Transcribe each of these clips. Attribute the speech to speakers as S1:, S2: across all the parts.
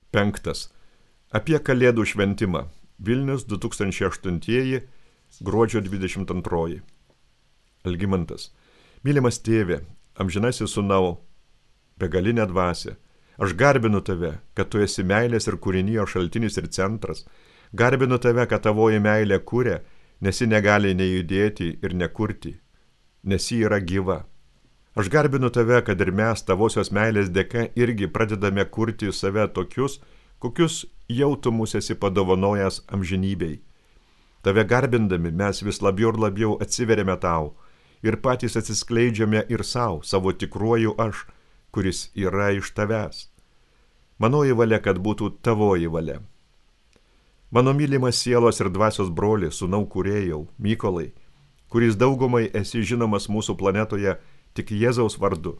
S1: 5. Apie Kalėdų šventimą. Vilnius 2008 gruodžio 22. Algimantas. Mylimas tėve, amžinasis sūnau, begalinė dvasia, aš garbinu tave, kad tu esi meilės ir kūrinijos šaltinis ir centras. Garbinu tave, kad tavoji meilė kuria, nes ji negali nejudėti ir nekurti, nes ji yra gyva. Aš garbinu tave, kad ir mes tavosios meilės dėka irgi pradedame kurti save tokius, kokius jau tu mus esi padovanojęs amžinybei. Tave garbindami mes vis labiau ir labiau atsiveriame tau ir patys atsiskleidžiame ir savo tikruoju aš, kuris yra iš tavęs. Manoji valia, kad būtų tavoji valia. Mano mylimas sielos ir dvasios broli, sūnau kūrėjau, Mykolai, kuris daugumai esi žinomas mūsų planetoje tik Jėzaus vardu.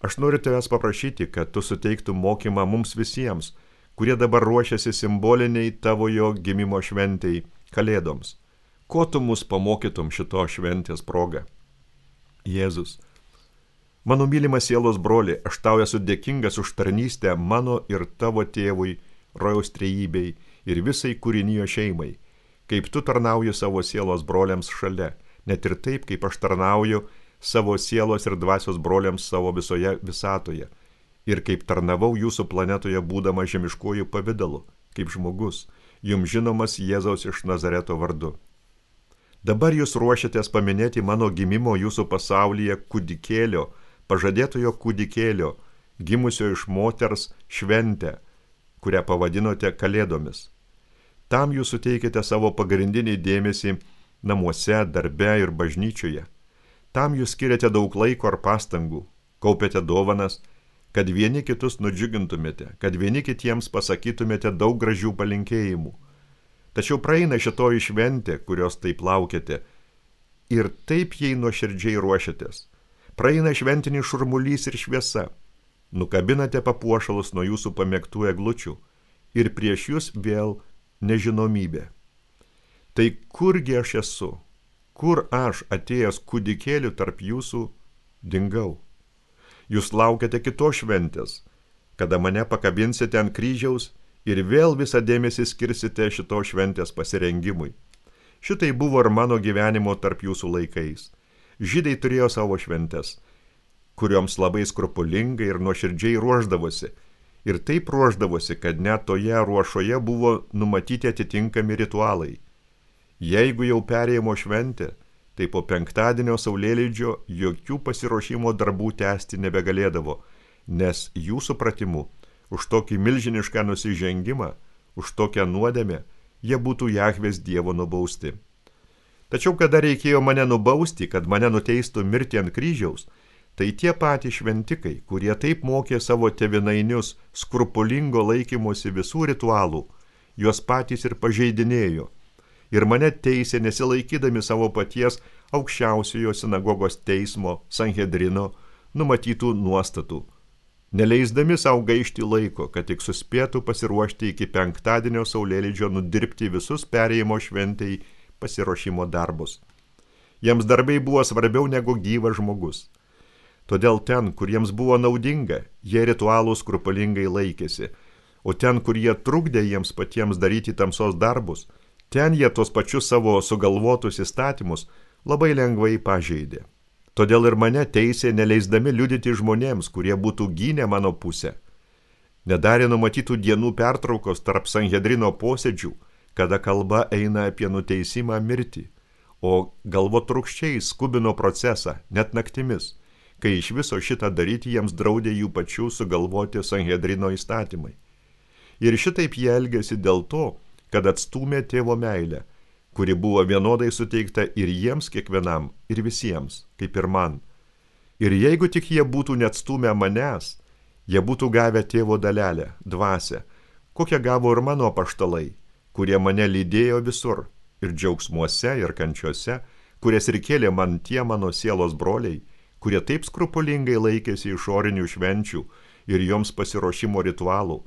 S1: Aš noriu tavęs paprašyti, kad tu suteiktum mokymą mums visiems, kurie dabar ruošiasi simboliniai tavojo gimimo šventei, Kalėdoms. Ko tu mus pamokytum šito šventės proga? Jėzus. Mano mylimas sielos broli, aš tau esu dėkingas už tarnystę mano ir tavo tėvui, rojaus trejybei ir visai kūrinijo šeimai, kaip tu tarnauji savo sielos broliams šalia, net ir taip, kaip aš tarnauju savo sielos ir dvasios broliams savo visoje visatoje, ir kaip tarnavau jūsų planetoje būdama žemiškuoju pavidalu, kaip žmogus, jums žinomas Jėzaus iš Nazareto vardu. Dabar jūs ruošiatės paminėti mano gimimo jūsų pasaulyje kūdikėlio, pažadėtojo kūdikėlio, gimusio iš moters šventę, kurią pavadinote Kalėdomis. Tam jūs suteikite savo pagrindinį dėmesį namuose, darbe ir bažnyčioje. Tam jūs skiriate daug laiko ar pastangų, kaupiate dovanas, kad vieni kitus nudžiugintumėte, kad vieni kitiems pasakytumėte daug gražių palinkėjimų. Tačiau praeina šitoji šventė, kurios taip laukiate, ir taip jai nuoširdžiai ruošiatės. Praeina šventinis šurmulys ir šviesa. Nukabinate papuošalus nuo jūsų pamėgtų eglučių ir prieš jūs vėl nežinomybė. Tai kurgi aš esu? Kur aš, atėjęs kūdikėliu tarp jūsų, dingau? Jūs laukiate kitos šventės, kada mane pakabinsite ant kryžiaus ir vėl visą dėmesį skirsite šitos šventės pasirengimui. Šitai buvo ir mano gyvenimo tarp jūsų laikais. Žydai turėjo savo šventes, kurioms labai skrupulingai ir nuoširdžiai ruošdavosi. Ir taip ruošdavosi, kad net toje ruošoje buvo numatyti atitinkami ritualai. Jeigu jau perėjimo šventė, tai po penktadienio saulėlydžio jokių pasiruošimo darbų tęsti nebegalėdavo, nes jų supratimu, už tokį milžinišką nusižengimą, už tokią nuodėmę, jie būtų Jahvės Dievo nubausti. Tačiau kada reikėjo mane nubausti, kad mane nuteistų mirti ant kryžiaus, tai tie patys šventikai, kurie taip mokė savo tėvynainius skrupulingo laikymosi visų ritualų, juos patys ir pažeidinėjo. Ir mane teisė nesilaikydami savo paties aukščiausiojo sinagogos teismo, Sanhedrino, numatytų nuostatų, neleisdami savo gaišti laiko, kad tik suspėtų pasiruošti iki penktadienio saulėlydžio nudirbti visus perėjimo šventei pasiruošimo darbus. Jiems darbai buvo svarbiau negu gyvas žmogus. Todėl ten, kur jiems buvo naudinga, jie ritualų skrupulingai laikėsi, o ten, kur jie trukdė jiems patiems daryti tamsos darbus, ten jie tos pačius savo sugalvotus įstatymus labai lengvai pažeidė. Todėl ir mane teisė neleisdami liudyti žmonėms, kurie būtų gynę mano pusę. Nedarė numatytų dienų pertraukos tarp Sanhedrino posėdžių, kada kalba eina apie nuteisimą mirtį, o galvotrūkščiai skubino procesą, net naktimis, kai iš viso šitą daryti jiems draudė jų pačių sugalvoti Sanhedrino įstatymai. Ir šitaip jie elgėsi dėl to, kad atstūmė tėvo meilę, kuri buvo vienodai suteikta ir jiems kiekvienam, ir visiems, kaip ir man. Ir jeigu tik jie būtų neatstūmę manęs, jie būtų gavę tėvo dalelę, dvasią, kokią gavo ir mano apaštalai, kurie mane lydėjo visur, ir džiaugsmuose, ir kančiuose, kurias ir kėlė man tie mano sielos broliai, kurie taip skrupulingai laikėsi išorinių švenčių ir joms pasiruošimo ritualų,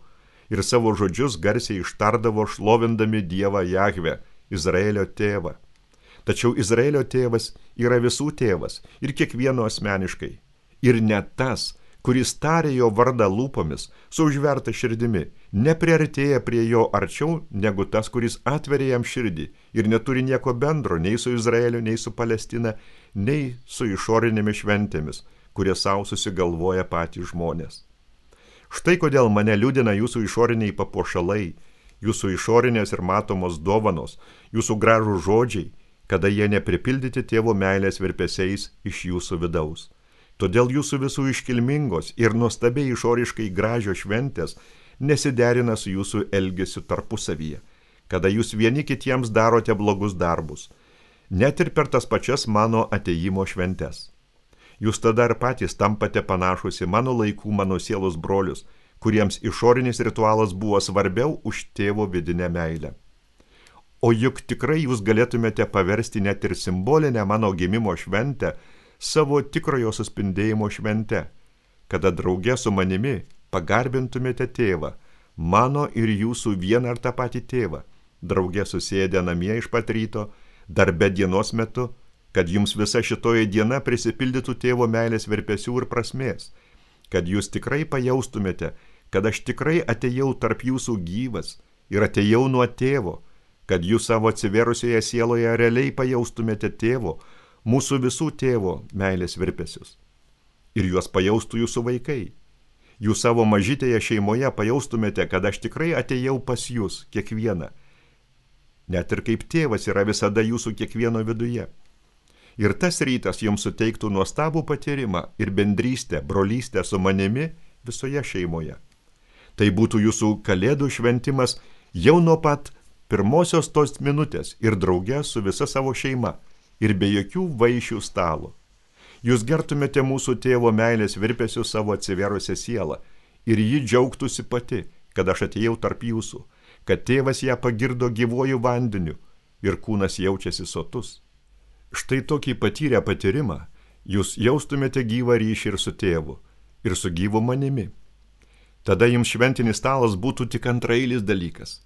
S1: ir savo žodžius garsiai ištardavo šlovindami Dievą Jahvę, Izraelio tėvą. Tačiau Izraelio tėvas yra visų tėvas ir kiekvieno asmeniškai. Ir ne tas, kuris tarė jo vardą lūpomis, su užverta širdimi, nepriartėja prie jo arčiau negu tas, kuris atveria jam širdį ir neturi nieko bendro nei su Izraeliu, nei su Palestina, nei su išorinėmis šventėmis, kurie savo susigalvoja patys žmonės. Štai kodėl mane liūdina jūsų išoriniai papuošalai, jūsų išorinės ir matomos dovanos, jūsų gražų žodžiai, kada jie nepripildyti tėvo meilės virpesiais iš jūsų vidaus. Todėl jūsų visų iškilmingos ir nuostabiai išoriškai gražios šventės nesiderina su jūsų elgesiu tarpusavyje, kada jūs vieni kitiems darote blogus darbus, net ir per tas pačias mano atėjimo šventes. Jūs tada ir patys tampate panašus į mano laikų, mano sielos brolius, kuriems išorinis ritualas buvo svarbiau už tėvo vidinę meilę. O juk tikrai jūs galėtumėte paversti net ir simbolinę mano gimimo šventę savo tikrojo suspindėjimo švente, kada drauge su manimi pagarbintumėte tėvą, mano ir jūsų vieną ar tą patį tėvą, drauge susėdę namie iš pat ryto, darbe dienos metu, kad jums visa šitoji diena prisipildytų tėvo meilės virpesių ir prasmės, kad jūs tikrai pajaustumėte, kad aš tikrai atėjau tarp jūsų gyvas ir atėjau nuo tėvo, kad jūs savo atsiverusioje sieloje realiai pajaustumėte tėvo, mūsų visų tėvo meilės virpesius. Ir juos pajaustų jūsų vaikai. Jūs savo mažytėje šeimoje pajaustumėte, kad aš tikrai atėjau pas jūs kiekvieną. Net ir kaip tėvas yra visada jūsų kiekvieno viduje. Ir tas rytas jums suteiktų nuostabų patyrimą ir bendrystę, brolystę su manimi visoje šeimoje. Tai būtų jūsų kalėdų šventimas jau nuo pat pirmosios tos minutės ir drauge su visa savo šeima ir be jokių vaišių stalo. Jūs gertumėte mūsų tėvo meilės virpesių savo atsiverusią sielą ir ji džiaugtųsi pati, kad aš atėjau tarp jūsų, kad tėvas ją pagirdo gyvuoju vandeniu ir kūnas jaučiasi sotus. Štai tokį patyrę patyrimą jūs jaustumėte gyvą ryšį ir su tėvu, ir su gyvu manimi. Tada jums šventinis stalas būtų tik antraeilis dalykas,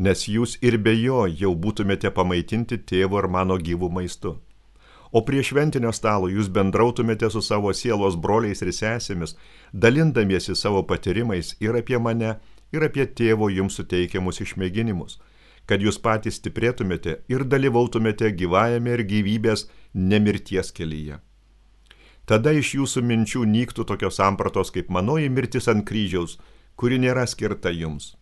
S1: nes jūs ir be jo jau būtumėte pamaitinti tėvo ir mano gyvų maistu. O prie šventinio stalo jūs bendrautumėte su savo sielos broliais ir sesėmis, dalindamiesi savo patyrimais ir apie mane, ir apie tėvo jums suteikiamus išmėginimus, kad jūs patys stiprėtumėte ir dalyvautumėte gyvajame ir gyvybės nemirties kelyje. Tada iš jūsų minčių nyktų tokios sampratos kaip manoji mirtis ant kryžiaus, kuri nėra skirta jums.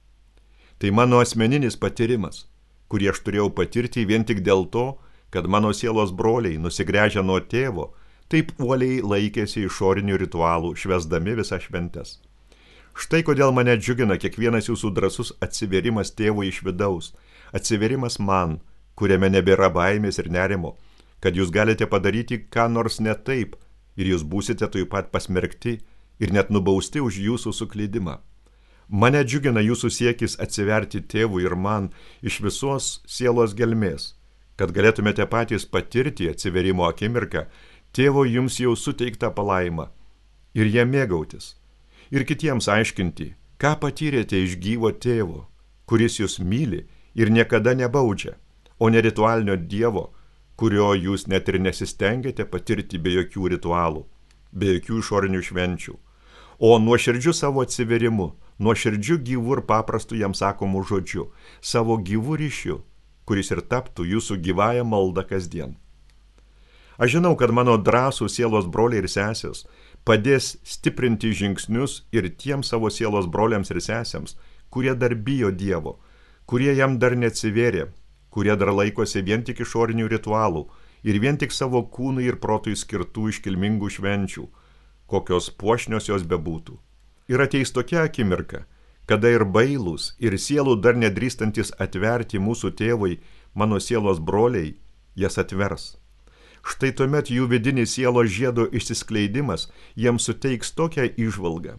S1: Tai mano asmeninis patyrimas, kurį aš turėjau patirti vien tik dėl to, kad mano sielos broliai, nusigręžę nuo tėvo, taip uoliai laikėsi išorinių ritualų, švęsdami visas šventes. Štai kodėl mane džiugina kiekvienas jūsų drąsus atsiverimas tėvui iš vidaus, atsiverimas man, kuriame nebėra baimės ir nerimo, kad jūs galite padaryti ką nors ne taip ir jūs būsite taip pat pasmerkti ir net nubausti už jūsų suklydimą. Mane džiugina jūsų siekis atsiverti tėvui ir man iš visos sielos gelmės, kad galėtumėte patys patirti atsiverimo akimirką tėvo jums jau suteiktą palaimą ir ją mėgautis. Ir kitiems aiškinti, ką patyrėte iš gyvo tėvo, kuris jūs myli ir niekada nebaudžia, o ne ritualinio dievo, kurio jūs net ir nesistengėte patirti be jokių ritualų, be jokių išorinių švenčių, o nuoširdžiu savo atsiverimu, nuoširdžiu gyvu ir paprastu jam sakomu žodžiu, savo gyvu ryšiu, kuris ir taptų jūsų gyvąją maldą kasdien. Aš žinau, kad mano drąsų sielos broliai ir sesės padės stiprinti žingsnius ir tiems savo sielos broliams ir sesėms, kurie dar bijo Dievo, kurie jam dar neatsivėrė, kurie dar laikosi vien tik išorinių ritualų ir vien tik savo kūnui ir protui skirtų iškilmingų švenčių, kokios puošnios jos bebūtų. Ir ateis tokia akimirka, kada ir bailūs, ir sielų dar nedrįstantis atverti mūsų tėvui, mano sielos broliai, jas atvers. Štai tuomet jų vidinis sielos žiedo išsiskleidimas jiems suteiks tokią įžvalgą,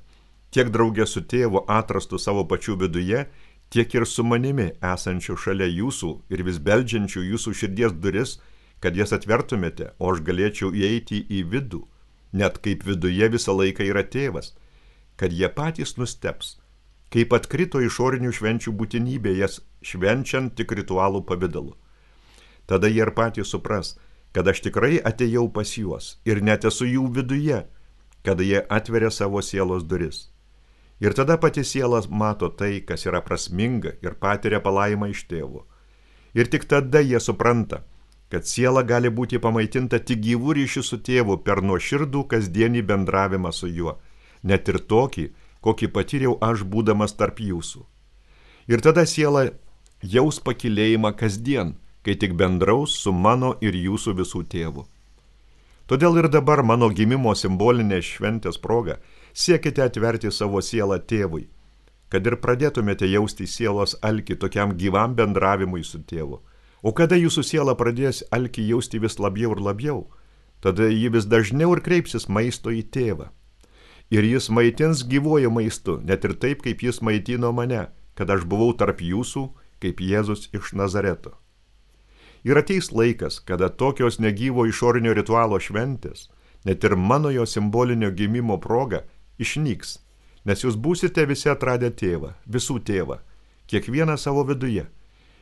S1: tiek draugė su tėvu atrastų savo pačių viduje, tiek ir su manimi esančių šalia jūsų ir vis beldžiančių jūsų širdies duris, kad jas atvertumėte, o aš galėčiau įeiti į vidų, net kaip viduje visą laiką yra tėvas, kad jie patys nusteps, kaip atkrito išorinių švenčių būtinybė jas švenčiant tik ritualų pavidalu. Tada jie ir patys supras, kad aš tikrai atėjau pas juos ir net esu jų viduje, kada jie atveria savo sielos duris. Ir tada pati siela mato tai, kas yra prasminga ir patiria palaimą iš tėvo. Ir tik tada jie supranta, kad siela gali būti pamaitinta tik gyvų ryšių su tėvu per nuoširdų kasdienį bendravimą su juo, net ir tokį, kokį patyriau aš būdamas tarp jūsų. Ir tada siela jaus pakilėjimą kasdien, kai tik bendraus su mano ir jūsų visų tėvu. Todėl ir dabar mano gimimo simbolinės šventės proga siekite atverti savo sielą tėvui, kad ir pradėtumėte jausti sielos alkį tokiam gyvam bendravimui su tėvu. O kada jūsų siela pradės alkį jausti vis labiau ir labiau, tada ji vis dažniau ir kreipsis maisto į tėvą. Ir jis maitins gyvuoju maistu, net ir taip, kaip jis maitino mane, kad aš buvau tarp jūsų, kaip Jėzus iš Nazareto. Ir ateis laikas, kada tokios negyvo išorinio ritualo šventės, net ir mano jo simbolinio gimimo proga, išnyks, nes jūs būsite visi atradę tėvą, visų tėvą, kiekvieną savo viduje.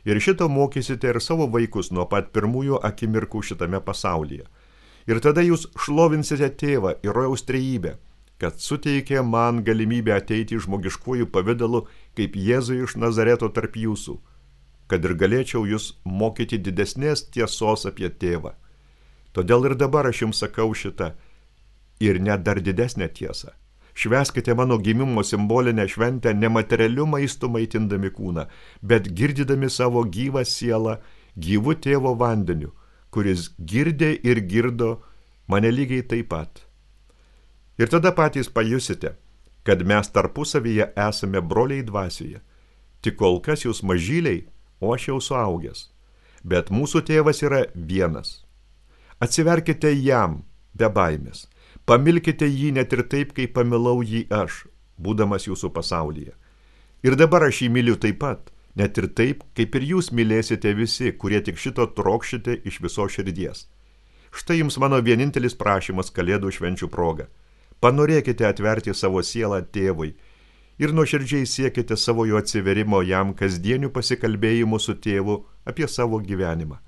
S1: Ir šito mokysite ir savo vaikus nuo pat pirmųjų akimirkų šitame pasaulyje. Ir tada jūs šlovinsite tėvą ir rojaus trejybę, kad suteikė man galimybę ateiti žmogiškuoju pavidalu kaip Jėzui iš Nazareto tarp jūsų, kad ir galėčiau jūs mokyti didesnės tiesos apie tėvą. Todėl ir dabar aš jums sakau šitą ir net dar didesnę tiesą. Švęskite mano gimimo simbolinę šventę nematerialiu maistu maitindami kūną, bet girdydami savo gyvą sielą gyvu tėvo vandeniu, kuris girdė ir girdo mane lygiai taip pat. Ir tada patys pajusite, kad mes tarpusavyje esame broliai dvasioje. Tik kol kas jūs mažyliai, o aš jau suaugęs. Bet mūsų tėvas yra vienas. Atsiverkite jam be baimės. Pamilkite jį net ir taip, kaip pamilau jį aš, būdamas jūsų pasaulyje. Ir dabar aš jį myliu taip pat, net ir taip, kaip ir jūs mylėsite visi, kurie tik šito trokšite iš viso širdies. Štai jums mano vienintelis prašymas Kalėdų švenčių proga. Panorėkite atverti savo sielą tėvui ir nuoširdžiai siekite savo jo atsiverimo jam kasdienių pasikalbėjimų su tėvu apie savo gyvenimą.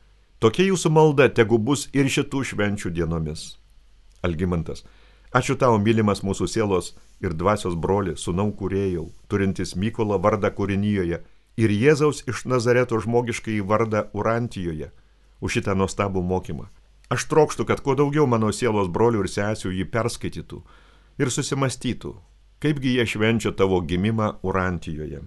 S1: Tokia jūsų malda tegu bus ir šitų švenčių dienomis. Algimantas. Ačiū tau, mylimas mūsų sielos ir dvasios broli, sūnau kūrėjau, turintis Mykolo vardą kūrinijoje ir Jėzaus iš Nazareto žmogiškai vardą Urantijoje, už šitą nuostabų mokymą. Aš trokštu, kad kuo daugiau mano sielos brolių ir sesių jį perskaitytų ir susimastytų, kaipgi jie švenčia tavo gimimą Urantijoje.